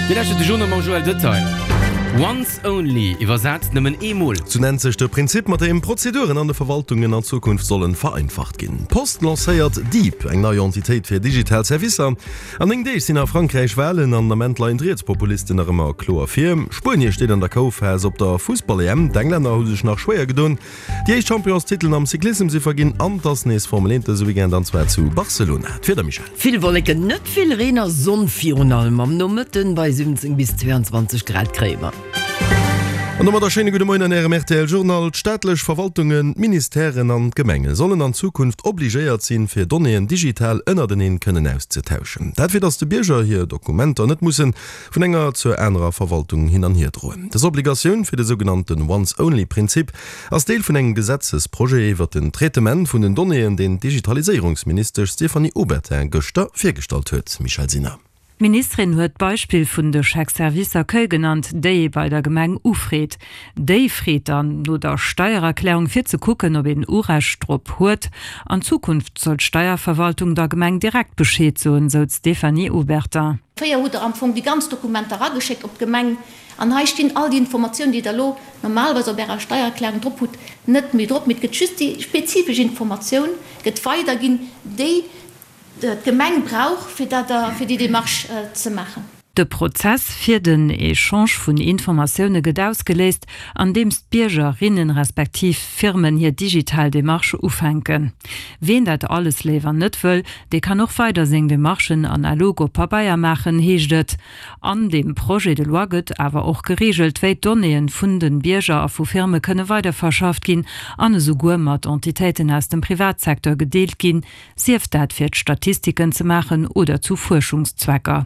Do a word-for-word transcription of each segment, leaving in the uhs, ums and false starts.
Dir lauschtert de Journal mam Joël Detail. Once only, iwwersat nëmmen eemol. Sou nennt sech de Prinzip, mat deem Prozeduren an de Verwaltungen an Zukunft sollen vereinfacht ginn. D'Post lancéiert Deep, eng nei Entitéit fir digital Servicer. An néng Deeg sinn a Frankräich Walen an den Ament leien d'Rietspopulisten nach ëmmer kloer vir. Spuenie steet an der K.O.-Phas op der Fussball-EM, d'Englänner hu sech nach schwéier gedoen. Déi éischt Championstitelen am Cyclissem si verginn an 't ass nees Formel eent dëse Weekend an zwar zu Barcelona. D'Wieder, Michèle? Vill Wolleken, net vill Reen a Sonn virun allem am Nomëtten. Bei siwwenzéng bis zweeanzwanzeg Grad kréie mer. An domat e schéine gudde Moien an Ärem R T L Journal. D'staatlech Verwaltungen, d'Ministèren an d'Gemenge sollen an Zukunft obligéiert sinn, fir Donnéeën digital ënnerteneen kënnen auszetauschen. Dat fir datt de Bierger hir Dokumenter net mussen vun enger zur anerer Verwaltung hin an hier droen. Dës Obligatioun fir de sougenannten Once-Only-Prinzip ass Deel vun engem Gesetzesprojet iwwert den Traitement vun den Donnéeën, deen d'Digitaliséierungsministesch Stéphanie Obertin gëschter virgestallt huet. Michèle Sinner. D'Ministerin huet d'Beispill vun de Chèques service accueil genannt, déi ee bei der Gemeng ufreet. Déi freet dann no der Steiererklärung fir ze kucken, ob een Urecht drop huet. An Zukunft soll d'Steierverwaltung der Gemeng direkt Bescheed soen, sou d'Stéphanie Obertin. Fréier hutt Der am Fong déi ganz Dokumenter erageschéckt op d'Gemeng an hei stinn all déi Informatiounen, déi Der elo normalerweis op Ärer Steiererklärung drop hutt, net méi drop, mee et gëtt just déi spezifesch Informatioun gëtt weiderginn, déi d'Gemeng brauch, fir dat, fir déi Démarche ze maachen. De Prozess fir den Echange vun Informatioune gëtt ausgeléist, andeems d'Biergerinnen respektiv Firmen hir digital Demarche ufänken. Ween dat alles léiwer net wëll, dee kann och weider seng Demarchen analog op Pabeier maachen, heescht et. An deem Projet de loi gëtt awer och gereegelt, wéi d'Donnéeë vun de Bierger a vu Firme kënne weiderverschafft ginn an esouguer mat Entitéiten aus dem Privatsecteur gedeelt ginn, sief dat fir d'Statistiken ze maachen oder zu Fuerschungszwecker.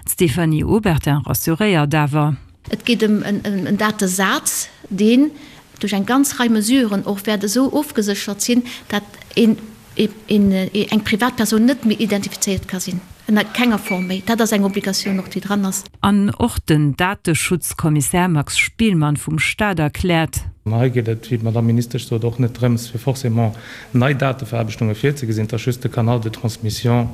D'Stéphanie Obertin rassuréiert awer. Et geet ëm en Datesaz, deen duerch eng ganz Rei Mesuren och wäert esou ofgeséchert sinn, dat een eng Privatpersoun net méi identifizéiert ka sinn, ënner kenger Form méi. Dat ass eng Obligatioun och, déi dran ass. An och den Dateschutzkommissär Max Spielmann vum Staat erkläert. Hei geet et, wéi d'Madamm Ministesch sot, och net drëms, fir forcément nei Dateverarbechtunge virzegesinn. Et ass just de Canal de transmission,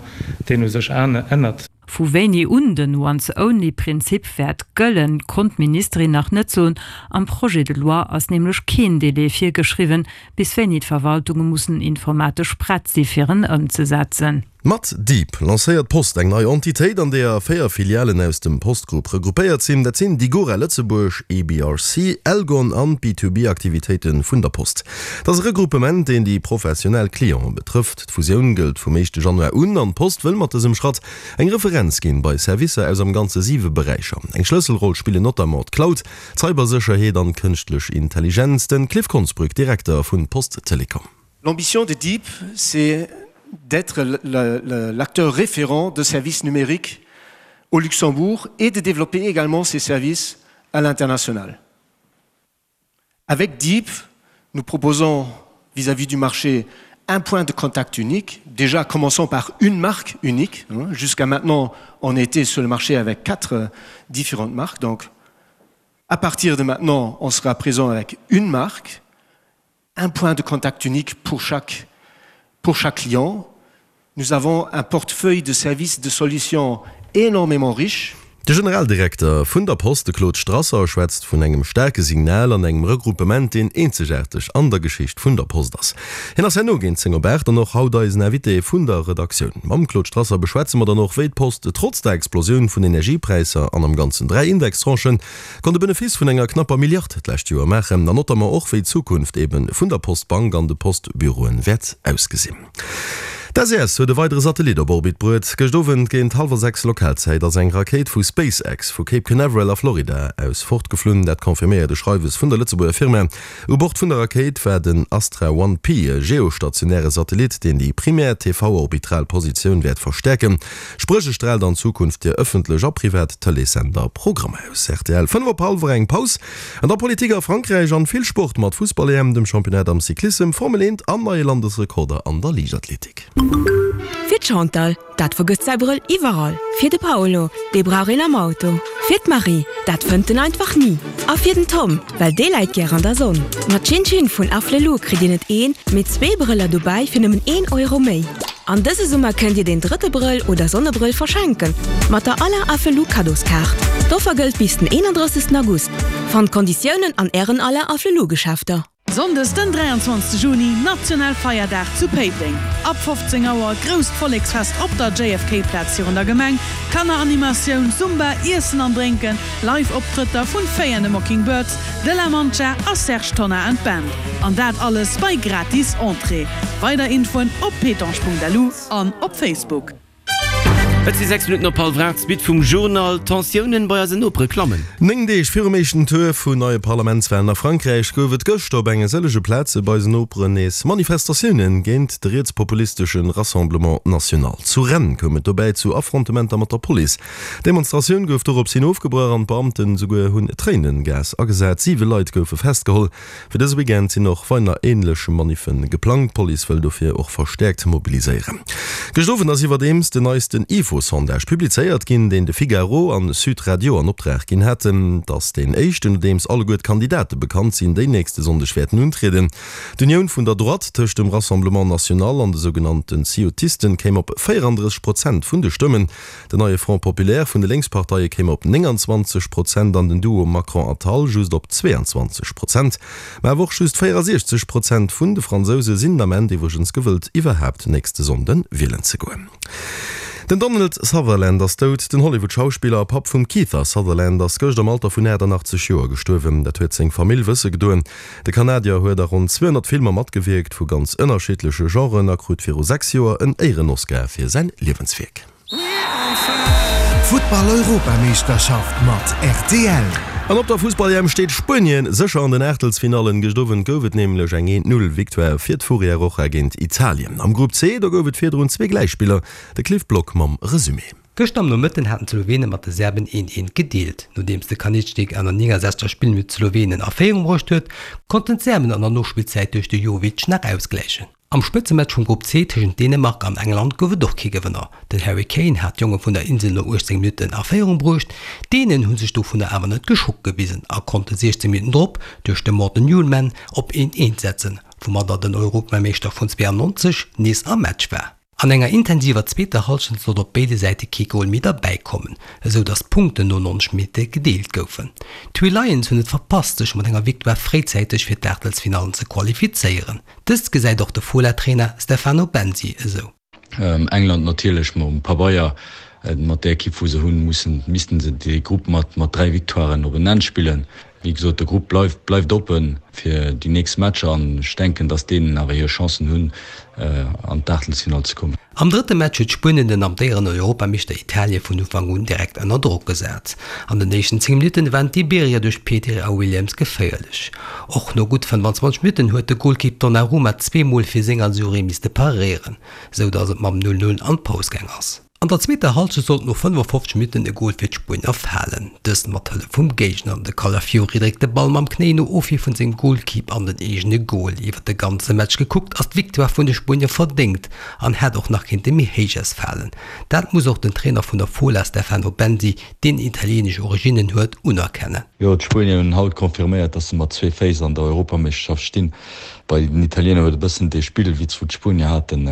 deen u sech ännert. Vu wéini un den Once-Only-Prinzip wäert gëllen, konnt d'Ministerin nach net soen. Am Projet de loi ass nämlech keen Delai virgeschriwwen, bis wéini d'Verwaltunge mussen informatesch prett si fir en ëmzesetzen. Mat Deep lancéiert d'Post eng nei Entitéit, an deeër véier Filialen aus dem Post-Group regroupéiert sinn. Dat sinn Digora Lëtzebuerg, E B R C, Elgon an d'B two B-Aktivitéite vun der Post. Dat ass e Regroupement, deen déi professionell Clienten betrëfft. D'Fusioun gëllt vum éischte Januar un an d'Post wëll mat dësem Schratt eng Referenz ginn bei Servicer aus am Ganze siwe Beräicher. Eng Schlësselroll spillen notamment d'Cloud, d'Cybersécherheet an d'kënschtlech Intelligenz. Den Cliff Konsbrück, Direkter vun Post Telecom. L'ambition de Deep, c'est d'être l'acteur référent de services numériques au Luxembourg et de développer également ces services à l'international. Avec Deep, nous proposons vis-à-vis du marché un point de contact unique, déjà commençons par une marque unique. Jusqu'à maintenant, on était sur le marché avec quatre différentes marques. Donc, à partir de maintenant, on sera présent avec une marque, un point de contact unique pour chaque, pour chaque client. Nous avons un portefeuille de services de solutions énormément riche. De Generaldirekter vun der Post, de Claude Strasser, schwätzt vun engem staarke Signal an engem Regroupement, deen eenzegaarteg an der Geschicht vun der Post ass. Hien ass herno géint zéng op aacht an och haut eisen Invité vun der Redaktioun. Mam Claude Strasser beschwätze mer dann och, wéi d'Post trotz der Explosioun vun Energiepräisser an am Ganzen dräi Indextranchen konnt e Benefice vun enger knapper Milliard d'lescht Joer maachen an notamment och, wéi d'Zukunft ebe vun der Postbank an de Postbüroen wäert ausgesinn. D'S E S huet e weidere Satellit op Orbit bruet. Gëscht Owend géint hallwer sechs Lokalzäit ass eng Rakéit vu SpaceX vu Cape Canaveral a Florida aus fortgeflunn. Dat confirméiert e Schreiwes vun der Lëtzebuerger Firma. U Bord vun der Rakéit war den Astra One P, e geostationäre Satellit, deen déi primär T V-orbitral Positioun wäert verstäerken. Spréch e straalt an Zukunft fir ëffentlech a privat Tëleessender Programmer aus. R T L, fënnef op hallwer eng, Paus an der Politik a Frankräich an vill Sport mat Fussball-E M, dem Championnat am Cyclissem, Formel eent an neie Landesrekorder an der Liichtathletik. Fir d'Chantal, dat vergësst säi Brëll iwwerall. Fir de Paolo, dee brauch een am Auto. Fir d'Marie, dat fënnt en einfach ni. A fir den Tom, well dee läit gär an der Sonn. Mat Chin Chin vun Afflelou kritt Dir net een, mee zwee Brëller dobäi fir nëmmen een Euro méi. An dëse Summer kënnt Dir den drëtte Brëll oder Sonnebrëll verschenken. Mat der aller Afflelou Kaddoskaart. D'Offer gëllt bis den eenandrëssegsten August. Fannt d'Konditiounen an Ären Alain Afflelou Geschäfter. Sonndes den dräianzwanzegste Juni, National Feierdag zu Péiteng. Ab fofzéng Auer grousst Volleksfest op der J F K Plaz virun der Gemeng, Kanneranimatioun, Zumba, Iessen an Drénken, Live Optrëtter vun Faye and the Mockingbirds, De La Mancha a Serge Tonnar and Band. An dat alles bei gratis Entrée. Weider Infoen op pétange Punkt L U an op Facebook. Et si sechs Minutten op hallwer aacht, d'Suite vum Journal. D'Tensiounen bei eisen Nopere klammen. Néng Deeg virum éischten Tour vun neie Parlamentswalen a Frankräich gouf et gëschter op enge sëllege Plaze bei eisen Noperen nees Manifestatioune géint de rietspopulistesche Rassemblement National. Zu Rennes koum et dobäi zu Affrontementer mat der Police. D'Demonstratioun gouf dorops hin ofgebrach an d'Beamten esouguer hunn Tréinengas agesat. Siwe Leit goufe festgeholl. Fir dëse Weekend sinn och weider änlech Maniffe geplangt. D'Police wëll dofir och verstäerkt mobiliséieren. Gëscht Owend ass iwwerdeems den neisten Ifo-Sondage publizéiert ginn, deen de Figaro an Sud Radio an Optrag ginn haten. Et ass deen éischten, nodeems alleguer d'Kandidate bekannt sinn, déi nächste Sonndeg wäerten untrieden. D'Unioun vun der Droite tëscht dem Rassemblement National an de sougenannten Ciottisten kéim op véierandrësseg Prozent vun de Stëmmen, den neie Front Populaire vun de Lénksparteie kéim op nénganzwanzeg Prozent an den Duo Macron-Attal just op zweeanzwanzeg Prozent. Mä awer och just véierasiechzeg Prozent vun de Fransouse sinn den Ament iwwregens gewëllt, iwwerhaapt nächste Sonnde wielen ze goen. Den Donald Sutherland ass dout. Den Hollywood-Schauspiller a Papp vum Kiefer Sutherland ass gëscht am Alter vun aachtannachtzeg Joer gestuerwen. Dat huet seng Famill wësse gedoen. De Kanadier huet a ronn zweehonnert Filmer matgewierkt, vu ganz ënnerschiddleche Genren, a krut viru sechs Joer en Éieren-Oscar fir säin Liewenswierk. Futtball-Europameeschterschaft mat R T L. An op der Fussball-E M steet Spuenien sécher an den Aachtelsfinallen. Gëscht Owend gouf et nämlech eng eent Null Victoire fir d'Furia Roja géint Italien. Am Grupp C, do gouf et virdrun zwee Gläichspiller. De Cliff Block mam Resumé. Gëschter am Nomëtten haten d'Slowene mat de Serben eent eent gedeelt. Nodeems de Kaničnik an der néngensechzeger Spillminutt d'Slowenen a Féierung bruecht huet, konnten d'Serben an der Nospillzäit duerch de Jovic nach ausgläichen. Am Spëtzematch vum Grupp C tëschent Dänemark an England gouf et och kee Gewënner. Den Harry Kane hat d'Jonge vun der Insel no uechtzéng Minutten a Féierung bruecht, d'Dänen hu sech dovunner awer net geschockt gewisen a konnte siechzéng Minutten drop duerch de Morten Hjulmand op eent eent setzen, woumadder den Europameeschter vun zweeannonzeg nees am Match war. An enger intensiver zweeter Hallschent sollt op béide Säite kee Gol méi derbäikommen, esou datt d'Punkten no nonzeg Minutte gedeelt goufen. D'Three Lions hunn et verpasst, sech mat enger Victoire fréizäiteg fir d'Aachtelsfinallen ze qualifizéieren. Dëst gesäit och de Fola-Trainer Stefano Bensi esou. England natierlech mam Pabeier, mat där Ekipp wou se hunn, mussen missten se dee Grupp mat mat dräi Victoiren op en Enn spillen. Wéi gesot, de Grupp bleift bleift oppen fir déi nächst Matcher an ech denken, datt d'Dänen awer hir Chancen hunn an d'Aachtelsfinall ze kommen. Am drëtte Match huet Spuenien den amtéierenden Europameeschter Italie vun Ufank un direkt ënner Drock gesat. An den éischten zéng Minutten waren d'Iberier duerch Pedri a Williams geféierlech. Och no gutt fënnefanzwanzeg Minutten huet de Golkipp Donnarumma zweemol fir seng Azzurri misste paréieren, sou datt et mam null null an d'Paus gaang ass. An der zweeter Hallschent sollt no fënnefofzeg Minutten e Gol fir d'Spuenier falen, dëst mat Hëllef vum Géigner. De Calafiori dréckt de Ball mam Knéi no Ofwier vun sengem Golkipp an den eegene Gol. Iwwer de ganze Match gekuckt ass d'Victoire vun de Spuenier verdéngt an hätt och nach kéinte méi héich ausfalen. Dat muss och den Trainer vun der Fola Stefano Bensi, deen italieenesch Originnen huet, unerkennen. Jo, d'Spuenier hunn haut confirméiert, datt se mat zwee Féiss an der Europameeschterschaft stinn. Bei den Italiener huet e bëssen dee Spillwitz wou d'Spuenier haten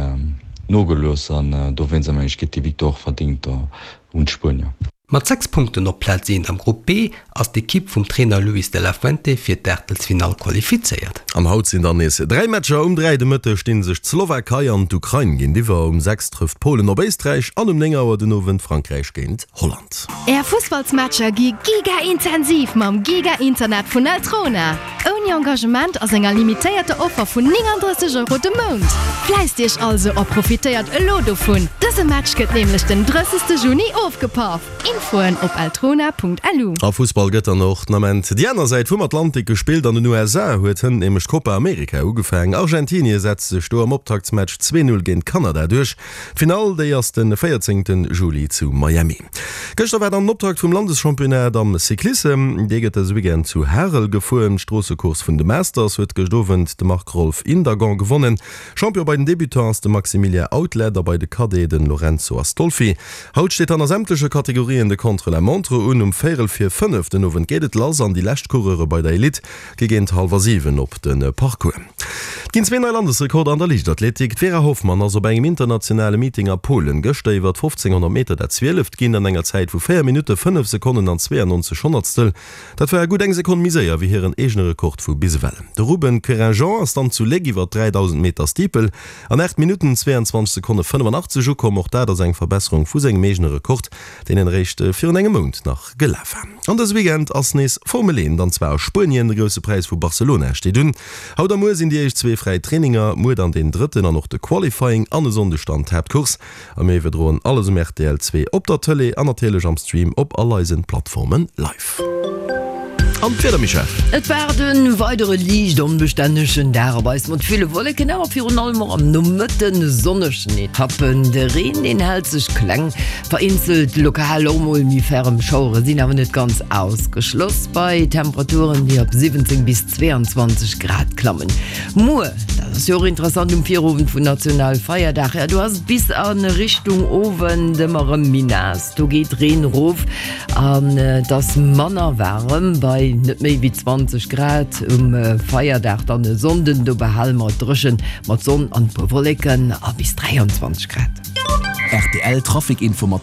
nogelooss an dowéinst mengen ech geet déi Victoire och verdéngt un d'Spuenier. Mat sechs Punkten op Plaz eent am Grupp B ass d'Ekipp vum Trainer Luis de la Fuente fir d'Aachtelsfinall qualifizéiert. An haut sinn dann nees dräi Matcher. Um dräi de Mëtteg sti sech d'Slowakei an d'Ukrain géintiwwer, um sechs trëfft Polen op Éisträich an um néng Auer den Owend Frankräich géint Holland. Är Fussballsmatcher gi giga-intensiv mam Giga-Internet vun Eltrona. Ouni Engagement a senger limitéierter Offer vun néngandrësseg Euro de Mount. Fläisst Iech also a profitéiert elo dovun. Dëse Match gëtt nämlech den drëssegste Juni ofgepaff. Infoen op eltrona Punkt L U. A Fussball gëtt dann och den Ament déi aner Säit vum Atlantik gespillt. An den U S A huet hënt nämlech d'Copa America ugefaangen. Argentinie setzt sech do am Optaktsmatch zwee Null géint Kanada duerch. D'Finall, déi ass de véierzéngte Juli zu Miami. Gëschter war dann den Optakt vum Landeschampionnat am Cyclissem. Dee gëtt dëse Weekend zu Harel gefuer. D'Stroossecourse D'Course vun de Masters huet gëscht Owend de Marc-Rolf Indagon gewonnen. Champion bei den Debutants ass de Maximilien Outlet a bei de Cadets den Lorenzo Astolfi. Haut steet dann a sämtleche Kategorien de Contre-la-montre un. Um véierel vir fënnef den Owend geet et lass an déi lescht Coureure bei der Elite gi géint hallwer siwen op de Parcours. Et ginn zwee nei Landesrekorder an der Liichtathletik. D'Vera Hoffmann ass op engem internationale Meeting a Polen gëschter iwwer fofzénghonnert Meter dat Zwieleft ginn an enger Zäit vu véier Minutte, fënnef Sekonnen an zweeënneunzeg Honnertstel. Dat war gutt eng Sekonn méi séier wéi hiren eegene Rekord vu bis ewell. De Ruben Querinjean ass dann zu Léck iwwer dräidausend Meter Steeple an aacht Minutten, zweeënzwanzeg Sekonne fënnefenachtzeg ukomm. Och dat ass eng Verbesserung vu sengem eegene Rekord, deen en eréischt virun engem Mount nach gelaf war. An dëse Weekend ass nees Formel eent, an zwar a Spuenien. De Grousse Präis vu Barcelona steet un. Haut a muer sinn déi éischt zwee fräi Traininger, muer dann deen drëtten an och de Qualifying an e Sonndeg dann d'Haaptcourse. A mir iwwerdroen alles um rtl zwee op der Tëlee an natierlech am Stream op all eisen Plattformen live. An d'Wieder, Michèle? Et waart e weidere liicht onbestännegen Dag op eis mat ville Wolleken, awer virun allem och am Nomëtten sonnegen Etappen. De Reen, deen hält sech kleng, vereenzelt lokal och mol méi ferrem Schauere sinn awer net ganz ausgeschloss bei Temperaturen, déi op siwwenzéng bis zweeënzwanzeg Grad klammen. Muer, dat ass jo och interessant, um Virowend vun Nationalfeierdag, jo do ass et bis a Richtung Owend ëmmer erëm méi naass, do geet Reen erof an et ass manner waarem bei net méi wéi zwanzeg Grad. Um Feierdag dann e Sonnden, do behale mer et dréchen mat Sonn an e puer Wolleken a bis dräianzwanzeg Grad. Rtl Trafic Informatiounen.